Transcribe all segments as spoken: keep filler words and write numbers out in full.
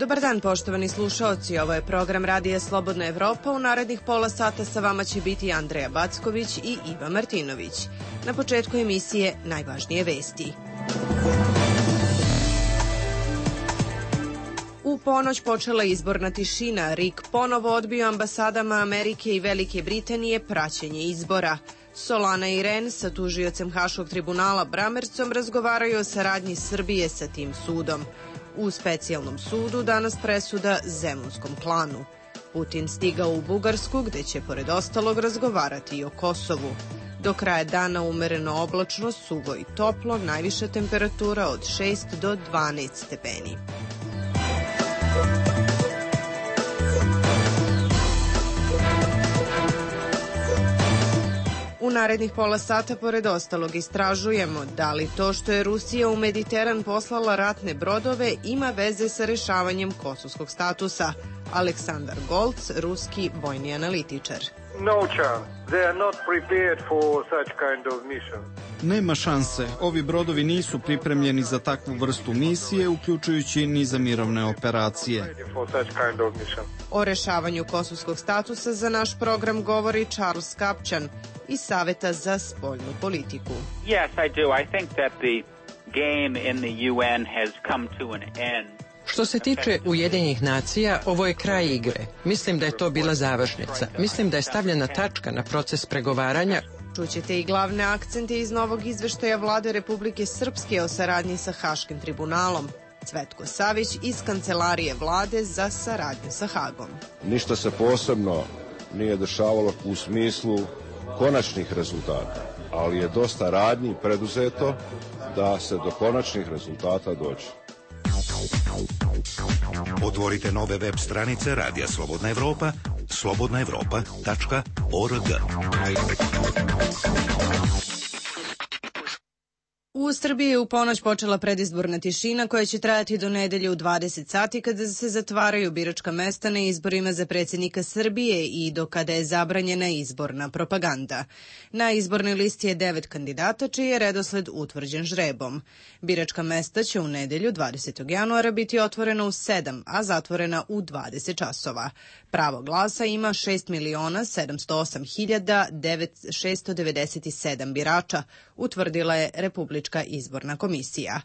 Dobar dan, poštovani slušaoci. Ovo je program Radija Slobodna Evropa. U narednih pola sata sa vama će biti Andreja Backović i Iva Martinović. Na početku emisije najvažnije vesti. U ponoć počela izborna tišina. R I K ponovo odbio ambasadama Amerike i Velike Britanije praćenje izbora. Solana i Ren sa tužiocem Haškog tribunala Bramercom razgovaraju o saradnji Srbije sa tim sudom. U specijalnom sudu danas presuda Zemunskom klanu. Putin stigao u Bugarsku gde će pored ostalog razgovarati i o Kosovu. Do kraja dana umereno oblačno, suvo i toplo, najviša temperatura od šest do dvanaest stepeni. U narednih pola sata, pored ostalog, istražujemo da li to što je Rusija u Mediteran poslala ratne brodove ima veze sa rešavanjem kosovskog statusa. Aleksandar Golc, ruski vojni analitičar. No chance. They are not prepared for such kind of mission. Nema šanse. Ovi brodovi nisu pripremljeni za takvu vrstu misije, uključujući ni za mirovne operacije. O rešavanju kosovskog statusa za naš program govori Charles Kapčan iz Saveta za spoljnu politiku. Yes, I do. I think that the game in the U N has come to an end. Što se tiče Ujedinjenih nacija, ovo je kraj igre. Mislim da je to bila završnica. Mislim da je stavljena tačka na proces pregovaranja. Čućete i glavne akcente iz novog izveštaja Vlade Republike Srpske o saradnji sa Haškim tribunalom. Cvetko Savić iz Kancelarije Vlade za saradnju sa Hagom. Ništa se posebno nije dešavalo u smislu konačnih rezultata, ali je dosta radnji preduzeto da se do konačnih rezultata dođe. Otvorite nove web stranice Radija Slobodna Evropa, slobodna evropa tačka org. U Srbiji je u ponoć počela predizborna tišina koja će trajati do nedelje u dvadeset sati kada se zatvaraju biračka mesta na izborima za predsjednika Srbije i do kada je zabranjena izborna propaganda. Na izbornoj listi je devet kandidata čiji je redosled utvrđen žrebom. Biračka mesta će u nedelju dvadesetog januara biti otvorena u sedam, a zatvorena u dvadeset časova. Pravo glasa ima šest miliona sedamsto osam hiljada šesto devedeset sedam birača, utvrdila je Republička izborna komisija.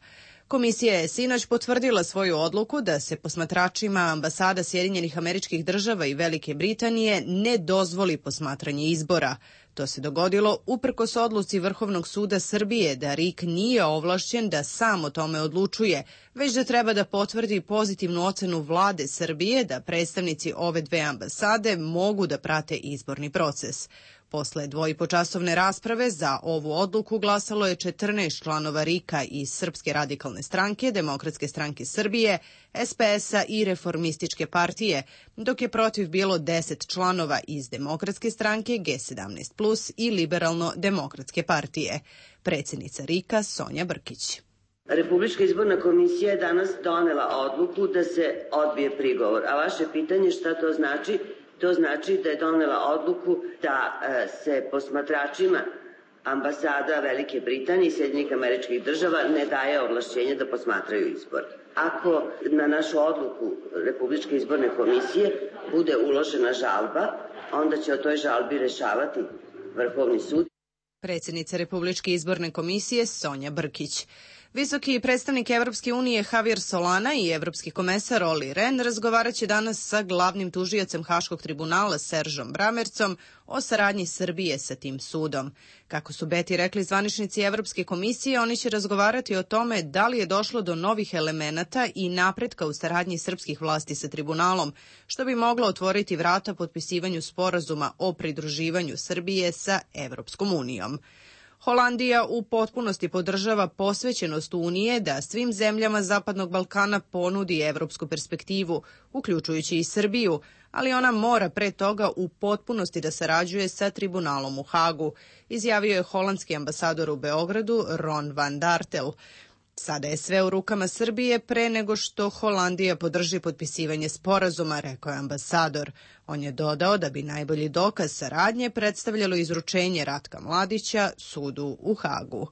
Komisija je sinoć potvrdila svoju odluku da se posmatračima ambasada Sjedinjenih Američkih Država i Velike Britanije ne dozvoli posmatranje izbora. To se dogodilo uprkos odluci Vrhovnog suda Srbije da R I K nije ovlašćen da sam o tome odlučuje, već da treba da potvrdi pozitivnu ocenu Vlade Srbije da predstavnici ove dve ambasade mogu da prate izborni proces. Posle dvoipočasovne rasprave za ovu odluku glasalo je četrnaest članova R I K-a iz Srpske radikalne stranke, Demokratske stranke Srbije, S P S-a i Reformističke partije, dok je protiv bilo deset članova iz Demokratske stranke, G sedamnaest plus i Liberalno-demokratske partije. Predsjednica R I K-a Sonja Brkić. Republička izborna komisija je danas donela odluku da se odbije prigovor, a vaše pitanje šta to znači? To znači da je donela odluku da se posmatračima ambasada Velike Britanije i Sjedinjenih Američkih Država ne daje ovlašćenje da posmatraju izbor. Ako na našu odluku Republičke izborne komisije bude uložena žalba, onda će o toj žalbi rešavati Vrhovni sud. Predsjednica Republičke izborne komisije Sonja Brkić. Visoki predstavnik Evropske unije Javier Solana i evropski komesar Olli Rehn razgovarat će danas sa glavnim tužiocem Haškog tribunala Seržom Bramercom o saradnji Srbije sa tim sudom. Kako su Beti rekli zvaničnici Evropske komisije, oni će razgovarati o tome da li je došlo do novih elemenata i napretka u saradnji srpskih vlasti sa tribunalom, što bi moglo otvoriti vrata potpisivanju sporazuma o pridruživanju Srbije sa Evropskom unijom. Holandija u potpunosti podržava posvećenost Unije da svim zemljama Zapadnog Balkana ponudi evropsku perspektivu, uključujući i Srbiju, ali ona mora pre toga u potpunosti da sarađuje sa tribunalom u Hagu, izjavio je holandski ambasador u Beogradu Ron van Dartel. Sada je sve u rukama Srbije pre nego što Holandija podrži potpisivanje sporazuma, rekao je ambasador. On je dodao da bi najbolji dokaz saradnje predstavljalo izručenje Ratka Mladića sudu u Hagu.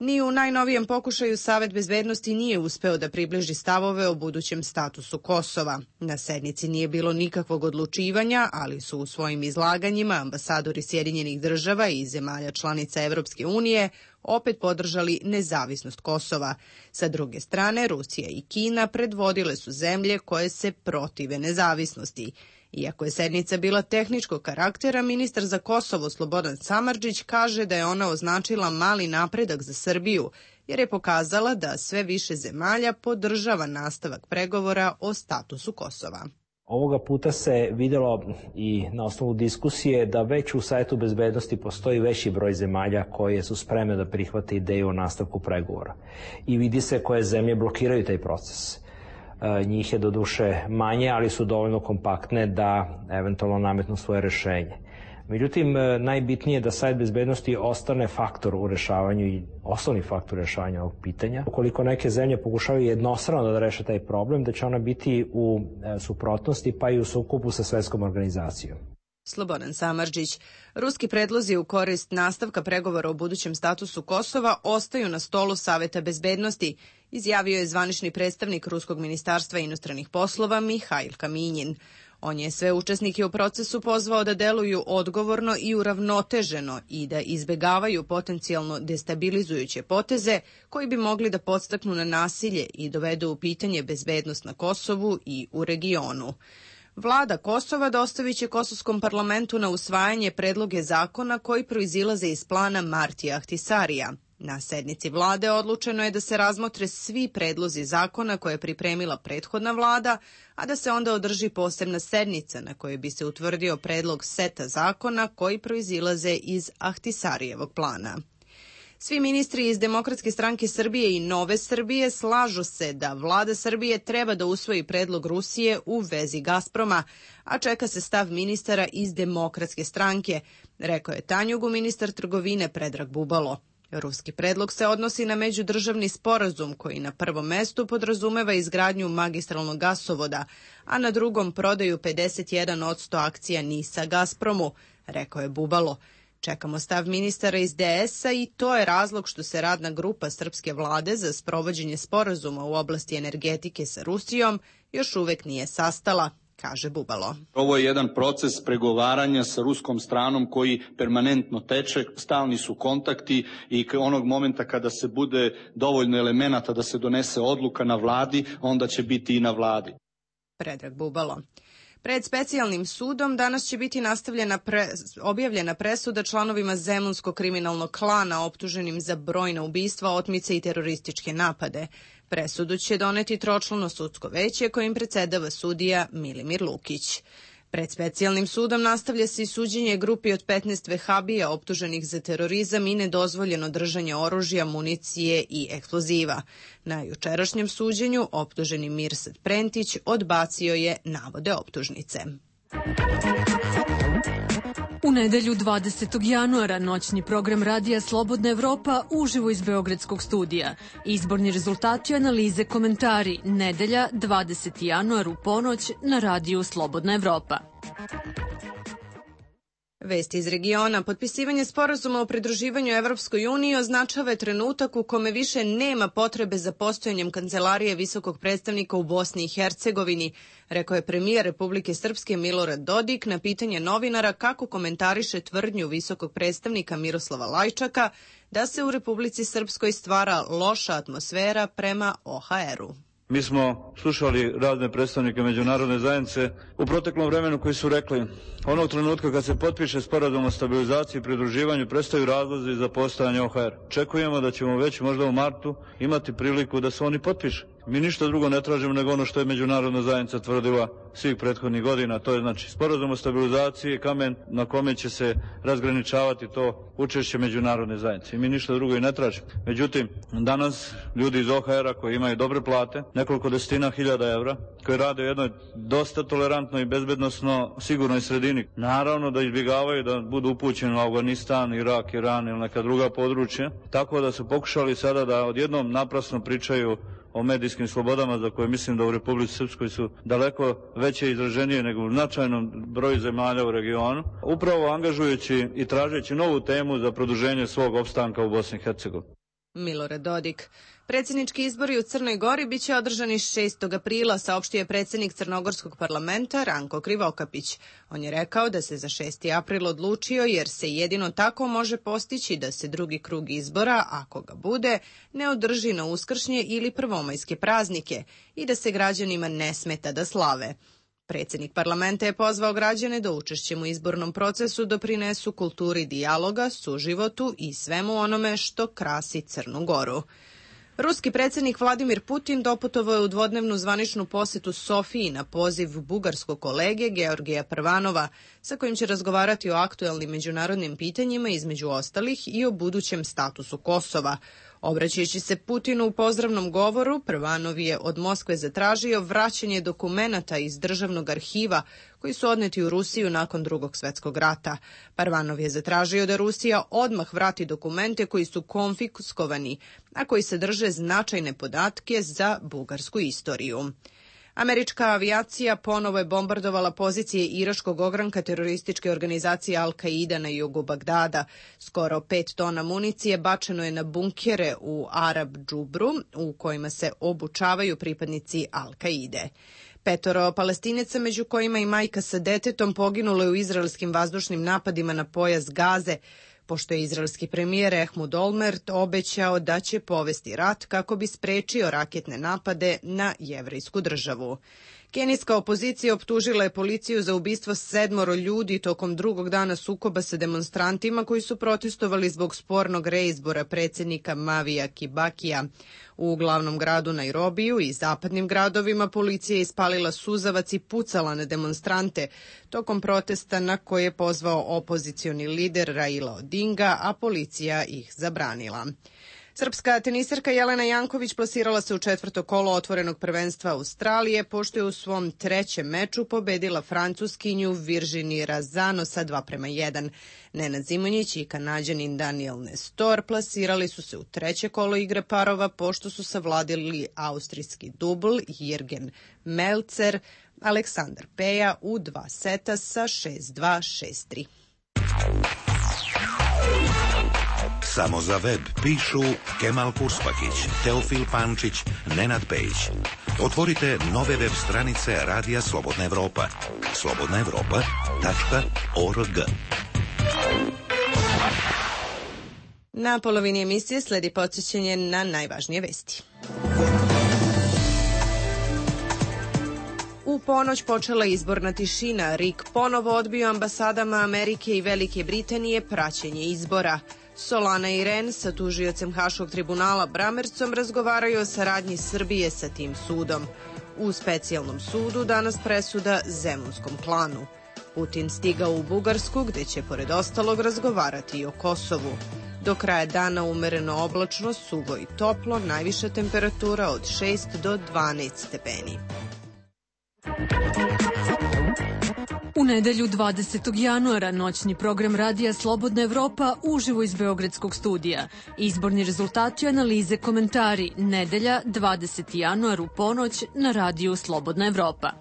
Ni u najnovijem pokušaju Savet bezbednosti nije uspeo da približi stavove o budućem statusu Kosova. Na sednici nije bilo nikakvog odlučivanja, ali su u svojim izlaganjima ambasadori Sjedinjenih država i zemalja članica Evropske unije opet podržali nezavisnost Kosova. Sa druge strane, Rusija i Kina predvodile su zemlje koje se protive nezavisnosti. Iako je sednica bila tehničkog karaktera, ministar za Kosovo Slobodan Samardžić kaže da je ona označila mali napredak za Srbiju, jer je pokazala da sve više zemalja podržava nastavak pregovora o statusu Kosova. Ovoga puta se vidjelo i na osnovu diskusije da već u Savetu bezbednosti postoji veći broj zemalja koje su spremne da prihvate ideju o nastavku pregovora. I vidi se koje zemlje blokiraju taj proces. Njih je doduše manje, ali su dovoljno kompaktne da eventualno nametnu svoje rešenje. Međutim, najbitnije je da Savet bezbednosti ostane faktor u rešavanju i osnovni faktor rešavanja ovog pitanja. Ukoliko neke zemlje pokušavaju jednostrano da reše taj problem, da će ona biti u suprotnosti pa i u sukobu sa svetskom organizacijom. Slobodan Samardžić. Ruski predlozi u korist nastavka pregovora o budućem statusu Kosova ostaju na stolu Saveta bezbednosti, izjavio je zvanični predstavnik Ruskog ministarstva inostranih poslova Mihail Kaminjin. On je sve učesnike u procesu pozvao da deluju odgovorno i uravnoteženo i da izbegavaju potencijalno destabilizujuće poteze koji bi mogli da podstaknu na nasilje i dovedu u pitanje bezbednost na Kosovu i u regionu. Vlada Kosova dostavit će Kosovskom parlamentu na usvajanje predloge zakona koji proizilaze iz plana Martija Ahtisarija. Na sednici vlade odlučeno je da se razmotre svi predlozi zakona koje je pripremila prethodna vlada, a da se onda održi posebna sednica na kojoj bi se utvrdio predlog seta zakona koji proizilaze iz Ahtisarijevog plana. Svi ministri iz Demokratske stranke Srbije i Nove Srbije slažu se da vlada Srbije treba da usvoji predlog Rusije u vezi Gazproma, a čeka se stav ministara iz Demokratske stranke, rekao je Tanjugu ministar trgovine Predrag Bubalo. Ruski predlog se odnosi na međudržavni sporazum koji na prvom mestu podrazumeva izgradnju magistralnog gasovoda, a na drugom prodaju pedeset jedan posto akcija NIS-a Gazpromu, rekao je Bubalo. Čekamo stav ministara iz D S-a i to je razlog što se radna grupa srpske vlade za sprovođenje sporazuma u oblasti energetike sa Rusijom još uvek nije sastala, kaže Bubalo. Ovo je jedan proces pregovaranja sa ruskom stranom koji permanentno teče, stalni su kontakti i onog momenta kada se bude dovoljno elemenata da se donese odluka na vladi, onda će biti i na vladi. Predrag Bubalo. Pred specijalnim sudom danas će biti nastavljena pre, objavljena presuda članovima Zemunskog kriminalnog klana optuženim za brojna ubistva, otmice i terorističke napade. Presudu će doneti tročlano sudsko veće kojim predsedava sudija Milimir Lukić. Pred specijalnim sudom nastavlja se i suđenje grupi od petnaest vehabija optuženih za terorizam i nedozvoljeno držanje oružja, municije i eksploziva. Na jučerašnjem suđenju optuženi Mirsad Prentić odbacio je navode optužnice. U nedelju dvadesetog januara noćni program radija Slobodna Evropa uživo iz Beogradskog studija. Izborni rezultati, analize, komentari. Nedelja dvadeseti januar u ponoć na radiju Slobodna Evropa. Vesti iz regiona. Potpisivanje sporazuma o pridruživanju Evropskoj uniji označava trenutak u kome više nema potrebe za postojanjem kancelarije visokog predstavnika u Bosni i Hercegovini, rekao je premijer Republike Srpske Milorad Dodik na pitanje novinara kako komentariše tvrdnju visokog predstavnika Miroslava Lajčaka da se u Republici Srpskoj stvara loša atmosfera prema O H R-u. Mi smo slušali razne predstavnike međunarodne zajednice u proteklom vremenu koji su rekli onog trenutka kad se potpiše sporazum o stabilizaciji i pridruživanju prestaju razlozi za postojanje O H R. Čekujemo da ćemo već možda u martu imati priliku da se oni potpiše. Mi ništa drugo ne tražimo nego ono što je međunarodna zajednica tvrdila svih prethodnih godina, to je znači sporazum o stabilizaciji, kamen na kome će se razgraničavati to učešće međunarodne zajednice. Mi ništa drugo i ne tražimo. Međutim, danas ljudi iz O H R-a koji imaju dobre plate, nekoliko desetina hiljada evra, koji rade u jednoj dosta tolerantnoj i bezbednosno sigurnoj sredini, naravno da izbjegavaju da budu upućeni u Afganistan, Irak, Iran ili neka druga područja, tako da su pokušali sada da odjednom naprasno pričaju o medijskim slobodama za koje mislim da u Republici Srpskoj su daleko veće izraženije nego u značajnom broju zemalja u regionu, upravo angažujući i tražeći novu temu za produženje svog opstanka u Bosni i Hercegovini. Milorad Dodik. Predsjednički izbori u Crnoj Gori biće održani šestog aprila, saopštio je predsjednik Crnogorskog parlamenta Ranko Krivokapić. On je rekao da se za šesti april odlučio jer se jedino tako može postići da se drugi krug izbora, ako ga bude, ne održi na uskršnje ili prvomajske praznike i da se građanima ne smeta da slave. Predsjednik parlamenta je pozvao građane da učešćem u izbornom procesu doprinesu kulturi dijaloga, suživotu i svemu onome što krasi Crnu Goru. Ruski predsjednik Vladimir Putin doputovao je u dvodnevnu zvaničnu posetu Sofiji na poziv bugarskog kolege Georgija Prvanova, sa kojim će razgovarati o aktuelnim međunarodnim pitanjima, između ostalih i o budućem statusu Kosova. Obraćajući se Putinu u pozdravnom govoru, Prvanov je od Moskve zatražio vraćanje dokumenata iz državnog arhiva koji su odneti u Rusiju nakon Drugog svjetskog rata. Prvanov je zatražio da Rusija odmah vrati dokumente koji su konfiskovani, a koji sadrže značajne podatke za bugarsku istoriju. Američka avijacija ponovo je bombardovala pozicije iraškog ogranka terorističke organizacije Al-Qaida na jugu Bagdada. Skoro pet tona municije bačeno je na bunkere u Arab Džubru, u kojima se obučavaju pripadnici Al-Qaide. Petoro Palestinaca, među kojima i majka sa detetom, poginulo je u izraelskim vazdušnim napadima na pojas Gaze, pošto je izraelski premijer Ehud Olmert obećao da će povesti rat kako bi sprečio raketne napade na jevrejsku državu. Kenijska opozicija optužila je policiju za ubistvo sedmoro ljudi tokom drugog dana sukoba sa demonstrantima koji su protestovali zbog spornog reizbora predsjednika Mavija Kibakija. U glavnom gradu Nairobiju i zapadnim gradovima policija je ispalila suzavac i pucala na demonstrante tokom protesta na koje je pozvao opozicioni lider Raila Odinga, a policija ih zabranila. Srpska tenisarka Jelena Janković plasirala se u četvrto kolo otvorenog prvenstva Australije, pošto je u svom trećem meču pobedila Francuskinju Virginie Razano sa dva prema jedan. Nenad Zimonjić i Kanađanin Daniel Nestor plasirali su se u treće kolo igre parova, pošto su savladili austrijski dubl Jürgen Melzer, Aleksandar Peja u dva seta sa šest dva, šest tri. Samo za web pišu Kemal Kurspakić, Teofil Pančić, Nenad Pejić. Otvorite nove web stranice Radija Slobodna Evropa. slobodna evropa tačka org. Na polovini emisije sledi podsjećanje na najvažnije vesti. U ponoć počela izborna tišina. Rik ponovo odbio ambasadama Amerike i Velike Britanije praćenje izbora. Solana i Ren sa tužiocem Haškog tribunala Bramercom razgovaraju o saradnji Srbije sa tim sudom. U specijalnom sudu danas presuda Zemunskom klanu. Putin stigao u Bugarsku, gde će pored ostalog razgovarati i o Kosovu. Do kraja dana umereno oblačno, suvo i toplo, najviša temperatura od šest do dvanaest stepeni. U nedelju dvadesetog januara noćni program Radija Slobodna Evropa uživo iz Beogradskog studija. Izborni rezultati, analize, komentari. Nedelja dvadeseti januar u ponoć na Radiju Slobodna Evropa.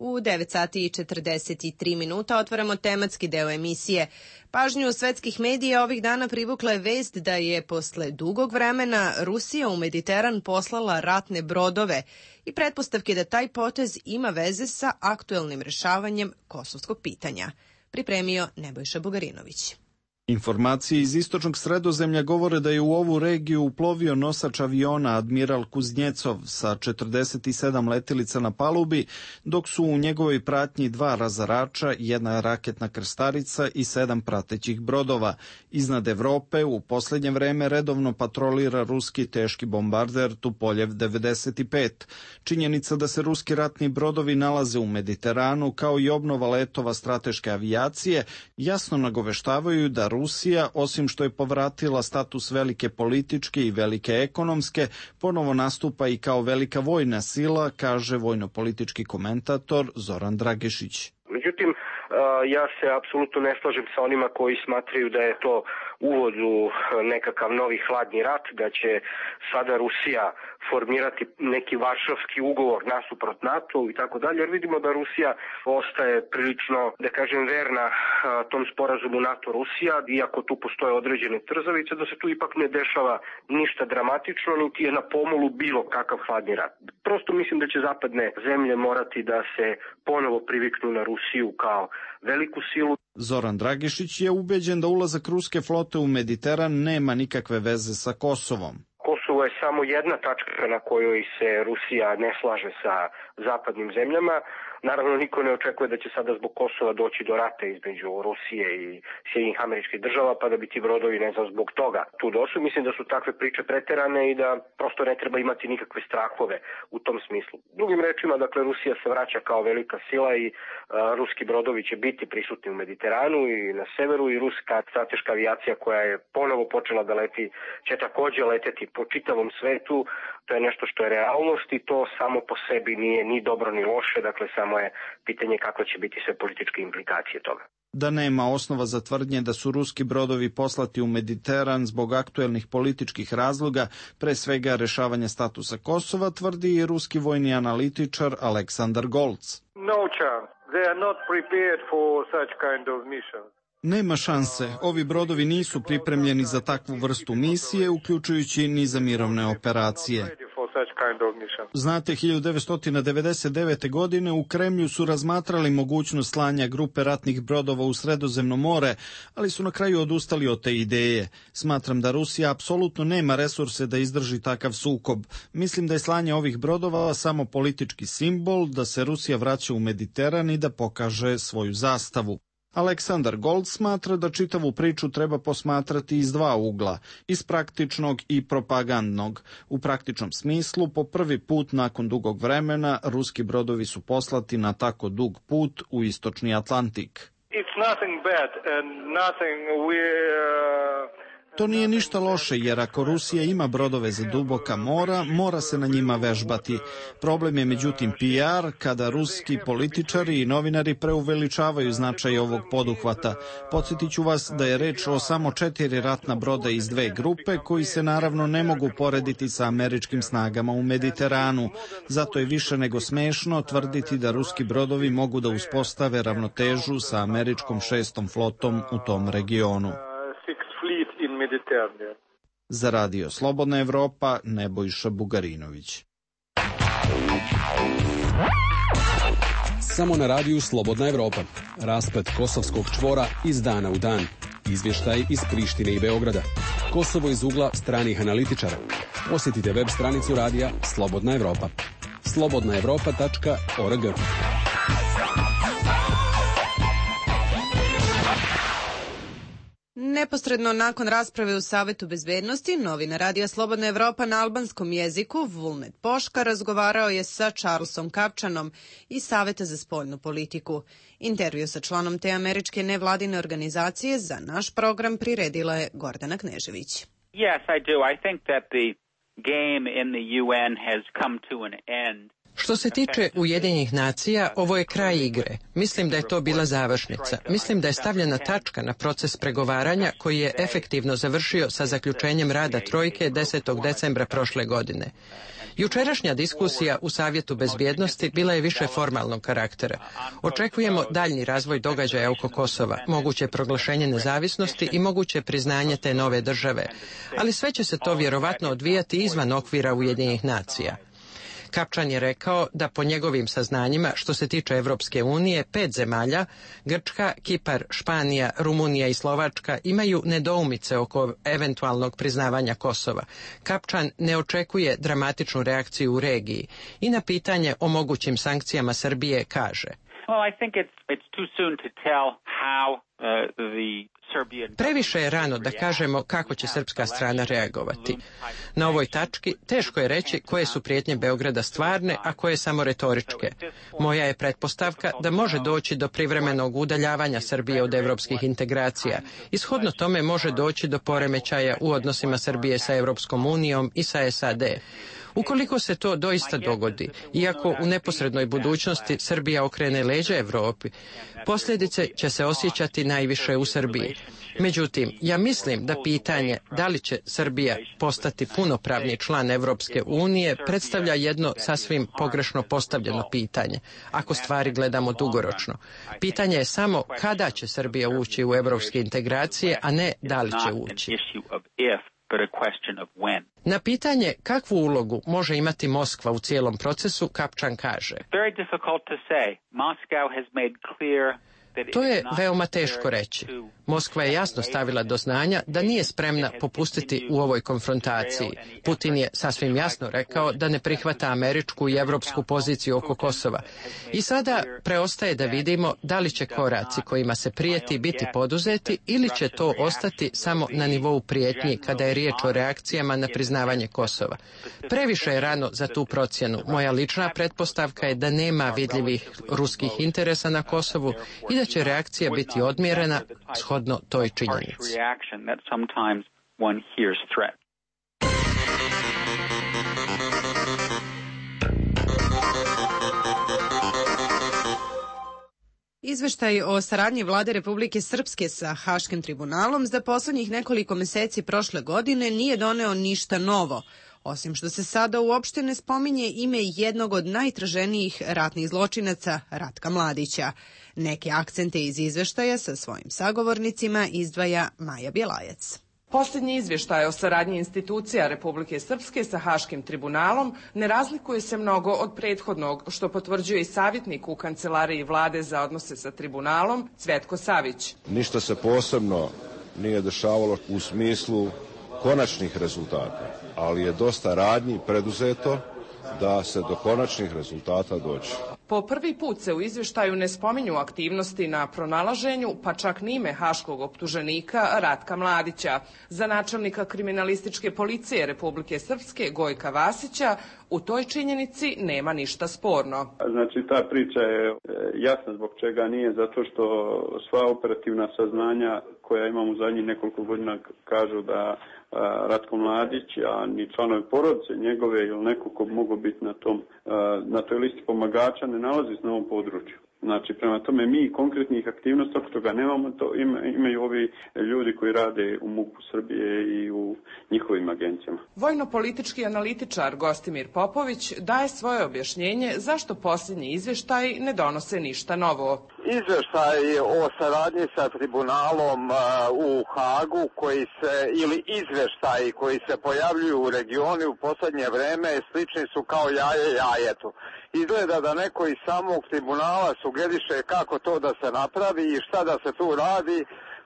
U devet sati i četrdeset tri minuta otvaramo tematski deo emisije. Pažnju svetskih medija ovih dana privukla je vest da je posle dugog vremena Rusija u Mediteran poslala ratne brodove i pretpostavke da taj potez ima veze sa aktuelnim rešavanjem kosovskog pitanja. Pripremio Nebojša Bugarinović. Informacije iz istočnog Sredozemlja govore da je u ovu regiju uplovio nosač aviona Admiral Kuznjecov sa četrdeset sedam letilica na palubi, dok su u njegovoj pratnji dva razarača, jedna raketna krstarica i sedam pratećih brodova. Iznad Evrope u poslednje vreme redovno patrolira ruski teški bombarder Tupoljev devedeset pet. Činjenica da se ruski ratni brodovi nalaze u Mediteranu, kao i obnova letova strateške avijacije, jasno nagoveštavaju da Rusija, osim što je povratila status velike političke i velike ekonomske, ponovo nastupa i kao velika vojna sila, kaže vojno-politički komentator Zoran Dragešić. Međutim, ja se apsolutno ne slažem sa onima koji smatraju da je to uvod u nekakav novi hladni rat, da će sada Rusija formirati neki varšavski ugovor nasuprot NATO i tako dalje, jer vidimo da Rusija ostaje prilično, da kažem, verna tom sporazumu NATO-Rusija, iako tu postoje određene trzavice, da se tu ipak ne dešava ništa dramatično, niti je na pomolu bilo kakav hladni rat. Prosto mislim da će zapadne zemlje morati da se ponovo priviknu na Rusiju kao veliku silu. Zoran Dragišić je ubeđen da ulazak ruske flote u Mediteran nema nikakve veze sa Kosovom. Kosovo je samo jedna tačka na kojoj se Rusija ne slaže sa zapadnim zemljama. Naravno, niko ne očekuje da će sada zbog Kosova doći do rata između Rusije i Sjedinjenih Američkih Država, pa da bi ti brodovi, ne znam, zbog toga tu došli. Mislim da su takve priče preterane i da prosto ne treba imati nikakve strahove u tom smislu. Drugim rečima, dakle, Rusija se vraća kao velika sila i a, ruski brodovi će biti prisutni u Mediteranu i na severu, i ruska strateška avijacija koja je ponovo počela da leti će takođe leteti po čitavom svetu. To je nešto što je realnost i to samo po sebi nije ni dobro ni loše, dakle samo je pitanje kako će biti sve političke implikacije toga. Da nema osnova za tvrdnje da su ruski brodovi poslati u Mediteran zbog aktuelnih političkih razloga, pre svega rešavanja statusa Kosova, tvrdi i ruski vojni analitičar Aleksandar Golc. No chance. They are not prepared for such kind of missions. Nema šanse. Ovi brodovi nisu pripremljeni za takvu vrstu misije, uključujući ni za mirovne operacije. Znate, hiljadu devetsto devedeset devete. godine u Kremlju su razmatrali mogućnost slanja grupe ratnih brodova u Sredozemno more, ali su na kraju odustali od te ideje. Smatram da Rusija apsolutno nema resurse da izdrži takav sukob. Mislim da je slanje ovih brodova samo politički simbol, da se Rusija vraća u Mediteran i da pokaže svoju zastavu. Aleksandar Gold smatra da čitavu priču treba posmatrati iz dva ugla, iz praktičnog i propagandnog. U praktičnom smislu, po prvi put nakon dugog vremena, ruski brodovi su poslati na tako dug put u istočni Atlantik. It's nothing bad and nothing we, uh... To nije ništa loše, jer ako Rusija ima brodove za duboka mora, mora se na njima vežbati. Problem je međutim P R, kada ruski političari i novinari preuveličavaju značaj ovog poduhvata. Podsjetit ću vas da je reč o samo četiri ratna broda iz dve grupe, koji se naravno ne mogu porediti sa američkim snagama u Mediteranu. Zato je više nego smešno tvrditi da ruski brodovi mogu da uspostave ravnotežu sa američkom šestom flotom u tom regionu. Za Radio Slobodna Evropa, Nebojša Bugarinović. Samo na radiju Slobodna Evropa. Rasplet kosovskog čvora iz dana u dan. Izvještaj iz Prištine i Beograda. Kosovo iz ugla stranih analitičara. Posjetite web stranicu radija Slobodna Evropa. slobodna evropa tačka org. Neposredno nakon rasprave u Savetu bezbednosti, novinar Radija Slobodna Evropa na albanskom jeziku, Vulnet Poška, razgovarao je sa Charlesom Kapčanom iz Saveta za spoljnu politiku. Intervju sa članom te američke nevladine organizacije za naš program priredila je Gordana Knežević. Yes, I do. I think that the game in the U N has come to an end. Što se tiče Ujedinjenih nacija, ovo je kraj igre. Mislim da je to bila završnica. Mislim da je stavljena tačka na proces pregovaranja koji je efektivno završio sa zaključenjem rada Trojke desetog decembra prošle godine. Jučerašnja diskusija u Savjetu bezbjednosti bila je više formalnog karaktera. Očekujemo daljni razvoj događaja oko Kosova, moguće proglašenje nezavisnosti i moguće priznanje te nove države. Ali sve će se to vjerovatno odvijati izvan okvira Ujedinjenih nacija. Kapčan je rekao da po njegovim saznanjima, što se tiče Evropske unije, pet zemalja, Grčka, Kipar, Španija, Rumunija i Slovačka, imaju nedoumice oko eventualnog priznavanja Kosova. Kapčan ne očekuje dramatičnu reakciju u regiji i na pitanje o mogućim sankcijama Srbije kaže: Well, I think it's, it's too soon to tell how uh, the Previše je rano da kažemo kako će srpska strana reagovati. Na ovoj tački teško je reći koje su prijetnje Beograda stvarne, a koje samo retoričke. Moja je pretpostavka da može doći do privremenog udaljavanja Srbije od evropskih integracija. Ishodno tome može doći do poremećaja u odnosima Srbije sa Evropskom unijom i sa S A D. Ukoliko se to doista dogodi, iako u neposrednoj budućnosti Srbija okrene leđa Evropi, posljedice će se osjećati najviše u Srbiji. Međutim, ja mislim da pitanje da li će Srbija postati punopravni član Evropske unije predstavlja jedno sasvim pogrešno postavljeno pitanje, ako stvari gledamo dugoročno. Pitanje je samo kada će Srbija ući u evropske integracije, a ne da li će ući. Na pitanje kakvu ulogu može imati Moskva u cijelom procesu, Kapčan kaže: to je veoma teško reći. Moskva je jasno stavila do znanja da nije spremna popustiti u ovoj konfrontaciji. Putin je sasvim jasno rekao da ne prihvata američku i evropsku poziciju oko Kosova. I sada preostaje da vidimo da li će koraci kojima se prijeti biti poduzeti ili će to ostati samo na nivou prijetnji kada je riječ o reakcijama na priznavanje Kosova. Previše je rano za tu procjenu. Moja lična pretpostavka je da nema vidljivih ruskih interesa na Kosovu i da će reakcija biti odmjerena shodno toj činjenici. Izveštaj o saradnji vlade Republike Srpske sa Haškim tribunalom za poslednjih nekoliko meseci prošle godine nije doneo ništa novo, osim što se sada uopšte ne spominje ime jednog od najtraženijih ratnih zločinaca, Ratka Mladića. Neke akcente iz izveštaja sa svojim sagovornicima izdvaja Maja Bjelajac. Posljednji izvještaj o saradnji institucija Republike Srpske sa Haškim tribunalom ne razlikuje se mnogo od prethodnog, što potvrđuje i savjetnik u Kancelariji vlade za odnose sa tribunalom, Cvetko Savić. Ništa se posebno nije dešavalo u smislu konačnih rezultata, ali je dosta radnji preduzeto da se do konačnih rezultata dođe. Po prvi put se u izvještaju ne spominju aktivnosti na pronalaženju, pa čak ni ime haškog optuženika Ratka Mladića. Za načelnika kriminalističke policije Republike Srpske Gojka Vasića u toj činjenici nema ništa sporno. Znači ta priča je jasna zbog čega nije, zato što sva operativna saznanja koja imamo u zadnjih nekoliko godina kažu da Ratko Mladić, a ni članovi porodice njegove ili neko ko mogu biti na, tom, na toj listi pomagača ne nalazi se na ovom području. Znači, prema tome mi konkretnih aktivnosti, ako toga nemamo, to ima, imaju ovi ljudi koji rade u MUP-u Srbije i u njihovim agencijama. Vojno-politički analitičar Gostimir Popović daje svoje objašnjenje zašto posljednji izvještaj ne donose ništa novo. Izvještaj o saradnji sa tribunalom u Hagu koji se, ili izvještaji koji se pojavljuju u regionu u posljednje vreme slični su kao jaje jajetu. Izgleda da neko iz samog tribunala sugeriše kako to da se napravi i šta da se tu radi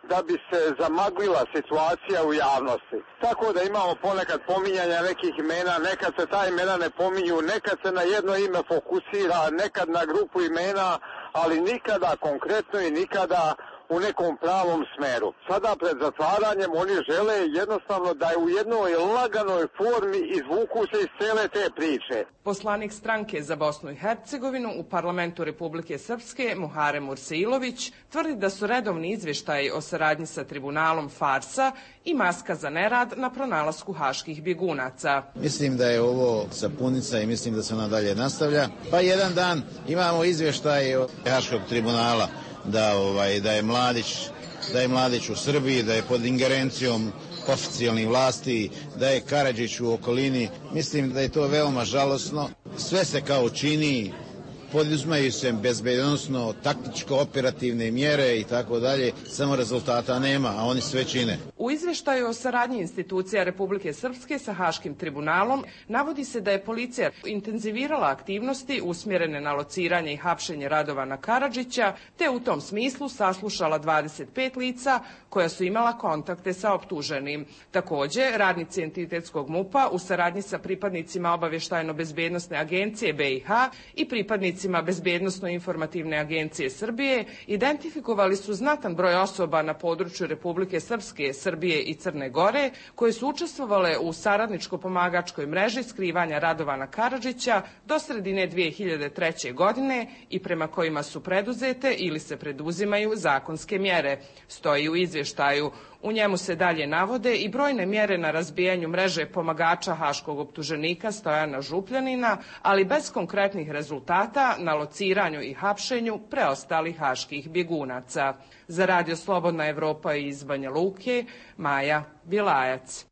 da bi se zamaglila situacija u javnosti. Tako da imamo ponekad pominjanja nekih imena, nekad se ta imena ne pominju, nekad se na jedno ime fokusira, nekad na grupu imena, ali nikada konkretno i nikada u nekom pravom smeru. Sada pred zatvaranjem oni žele jednostavno da je u jednoj laganoj formi izvuku se iz cele te priče. Poslanik stranke za Bosnu i Hercegovinu u parlamentu Republike Srpske Muharem Ursailović tvrdi da su redovni izvještaji o saradnji sa tribunalom farsa i maska za nerad na pronalasku haških bjegunaca. Mislim da je ovo sapunica i mislim da se ona dalje nastavlja. Pa jedan dan imamo izvještaj od Haškog tribunala da ovaj da je Mladić da je Mladić u Srbiji, da je pod ingerencijom oficijalnih vlasti, da je Karadžić u okolini. Mislim da je to veoma žalosno. Sve se kao čini, poduzimaju se bezbednosno, taktičko-operativne mjere i tako dalje, samo rezultata nema, a oni sve čine. U izvještaju o saradnji institucija Republike Srpske sa Haškim tribunalom navodi se da je policija intenzivirala aktivnosti usmjerene na lociranje i hapšenje Radovana Karadžića, te u tom smislu saslušala dvadeset pet lica koja su imala kontakte sa optuženim. Također, radnici entitetskog MUP-a u saradnji sa pripadnicima obavještajno-bezbednosne agencije B i H i pripadnicima Bezbednosno-informativne agencije Srbije identifikovali su znatan broj osoba na području Republike Srpske, Srbije i Crne Gore koje su učestvovale u saradničko-pomagačkoj mreži skrivanja Radovana Karadžića do sredine dvije hiljade treće. godine i prema kojima su preduzete ili se preduzimaju zakonske mjere, stoji u izvještaju. U njemu se dalje navode i brojne mjere na razbijanju mreže pomagača haškog optuženika Stojana Župljanina, ali bez konkretnih rezultata na lociranju i hapšenju preostalih haških bjegunaca. Za Radio Slobodna Evropa iz Banja Luke, Maja Bilajac.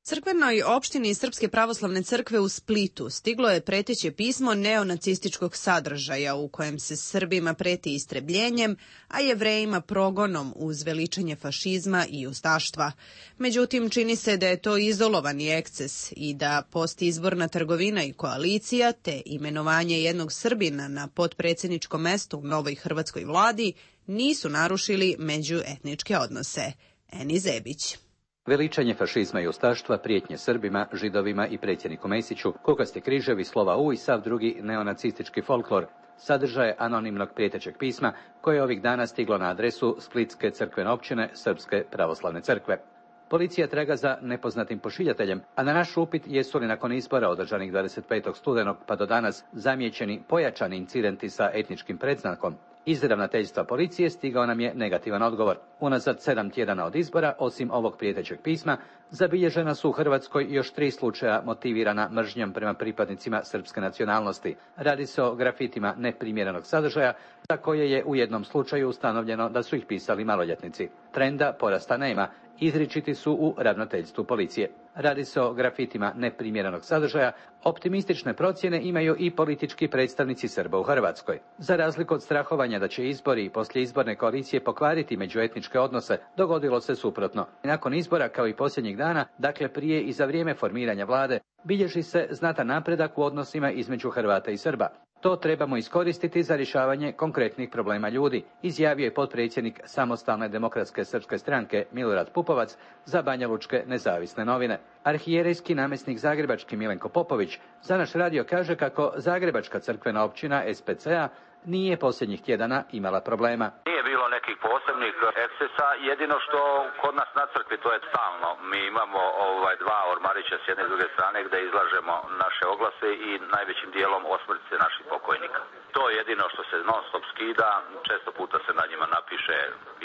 Crkvenoj opštini Srpske pravoslavne crkve u Splitu stiglo je preteće pismo neonacističkog sadržaja u kojem se Srbima preti istrebljenjem, a Jevrejima progonom uz veličanje fašizma i ustaštva. Međutim, čini se da je to izolovani eksces i da postizborna trgovina i koalicija te imenovanje jednog Srbina na potpredsjedničko mesto u novoj hrvatskoj vladi nisu narušili međuetničke odnose. Eni Zebić. Veličanje fašizma i ustaštva, prijetnje Srbima, Židovima i predsjedniku Mesiću, kukasti križevi, slova U i sav drugi neonacistički folklor, sadržaje anonimnog prijetećeg pisma koje je ovih dana stiglo na adresu Splitske crkvene općine Srpske pravoslavne crkve. Policija traga za nepoznatim pošiljateljem, a na naš upit jesu li nakon izbora održanih dvadeset petog studenog pa do danas zamijećeni pojačani incidenti sa etničkim predznakom, iz ravnateljstva policije stigao nam je negativan odgovor. Unazad sedam tjedana od izbora, osim ovog prijetećeg pisma, zabilježena su u Hrvatskoj još tri slučaja motivirana mržnjom prema pripadnicima srpske nacionalnosti. Radi se o grafitima neprimjerenog sadržaja, za koje je u jednom slučaju ustanovljeno da su ih pisali maloljetnici. Trenda porasta nema, izričiti su u ravnateljstvu policije. Radi se o grafitima neprimjerenog sadržaja, optimistične procjene imaju i politički predstavnici Srba u Hrvatskoj. Za razliku od strahovanja da će izbori i poslijeizborne koalicije pokvariti međuetničke odnose, dogodilo se suprotno. Nakon izbora, kao i posljednjih dana, dakle prije i za vrijeme formiranja vlade, bilježi se znatan napredak u odnosima između Hrvata i Srba. To trebamo iskoristiti za rješavanje konkretnih problema ljudi, izjavio je potpredsjednik Samostalne demokratske srpske stranke Milorad Pupovac za banjalučke nezavisne novine. Arhijerejski namjesnik zagrebački Milenko Popović za naš radio kaže kako Zagrebačka crkvena općina S P C-a nije posljednjih tjedana imala problema. Nije bilo nekih posebnih ekscesa, jedino što kod nas na crkvi to je stalno. Mi imamo ovaj dva ormarića s jedne i druge strane gdje izlažemo naše oglase i najvećim dijelom osmrtice naših pokojnika. To je jedino što se non stop skida, često puta se na njima napiše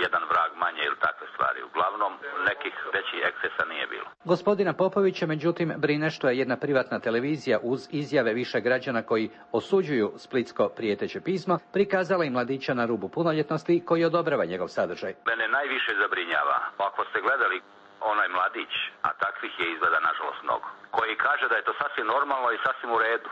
jedan vrag manje ili takve stvari. Uglavnom nekih većih ekscesa nije bilo. Gospodina Popovića međutim brine što je jedna privatna televizija uz izjave više građana koji osuđuju splitsko prijeteće pismo prikazala i mladića na rubu punoljetnosti koji odobrava njegov sadržaj. Mene najviše zabrinjava, ako ste gledali onaj mladić, a takvih je izgleda nažalost mnogo, koji kaže da je to sasvim normalno i sasvim u redu.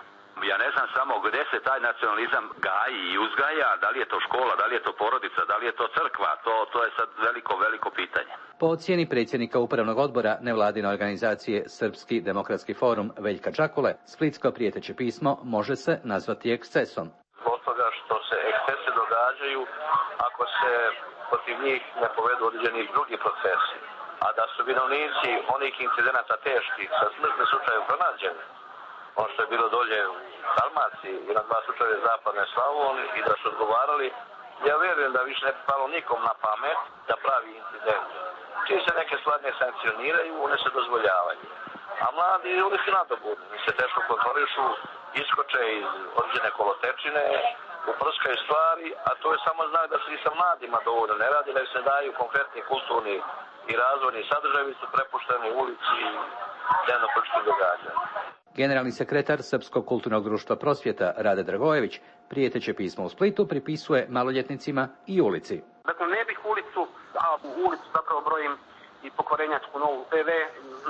Ja ne znam samo gdje se taj nacionalizam gaji i uzgaja, da li je to škola, da li je to porodica, da li je to crkva, to, to je sad veliko, veliko pitanje. Po ocjeni predsjednika upravnog odbora nevladine organizacije Srpski demokratski forum Veljka Čakule, splitsko prijeteće pismo može se nazvati ekscesom. Zbog toga što se ekscese događaju ako se protiv njih ne povedu određeni drugi procesi, a da su vinovnici onih incidenata teških sa smrtnim slučajem pronađeni, ono što je bilo dolje u Dalmaciji i na dva slučaje zapadne Slavonije i da su odgovarali, ja vjerujem da više ne bi palo nikom na pamet da pravi incident. Čim se neke stvari ne sankcioniraju, one se dozvoljavaju. A mladi, oni su nadobudni, se teško kontrolišu, iskoče iz određene kolotečine, uprskaju stvari, a to je samo znak da se i sa mladima dovoljno ne radi, da se daju konkretni kulturni i razvojni sadržaji, su prepušteni u ulici i dnevno političkim događanjima. Generalni sekretar Srpskog kulturnog društva Prosvjeta Rade Dragojević prijeteće pismo u Splitu pripisuje maloljetnicima i ulici. Dakle, ne bih ulicu, a u ulicu zapravo brojim i pokvarenjačku novu P V,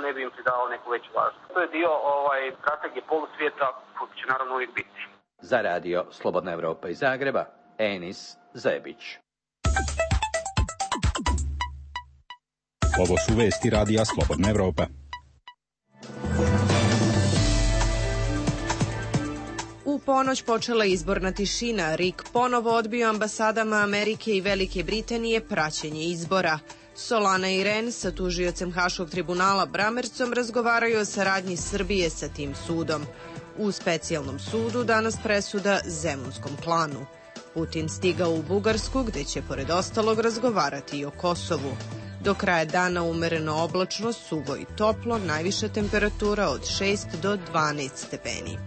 ne bi im pridao neku veću važnost. To je dio ovaj, strategije polusvijeta, koji će naravno uvijek biti. Za radio Slobodna Evropa iz Zagreba, Enis Zebić. Ovo su vesti radija Slobodna Evropa. U ponoć počela izborna tišina. Rik ponovo odbio ambasadama Amerike i Velike Britanije praćenje izbora. Solana i Ren sa tužiocem Haškog tribunala Bramercom razgovaraju o saradnji Srbije sa tim sudom. U specijalnom sudu danas presuda Zemunskom klanu. Putin stigao u Bugarsku gde će pored ostalog razgovarati i o Kosovu. Do kraja dana umereno oblačno, suvo i toplo, najviša temperatura od šest do dvanaest stepeni.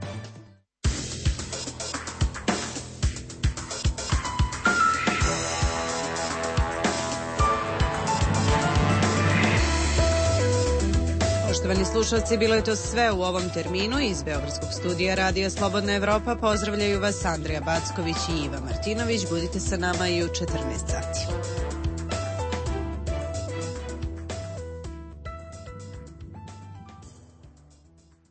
Poštovani slušalci, bilo je to sve u ovom terminu. Iz Beogradskog studija Radija Slobodna Evropa pozdravljaju vas Andrija Backović i Iva Martinović. Budite sa nama i u četrnaest sati.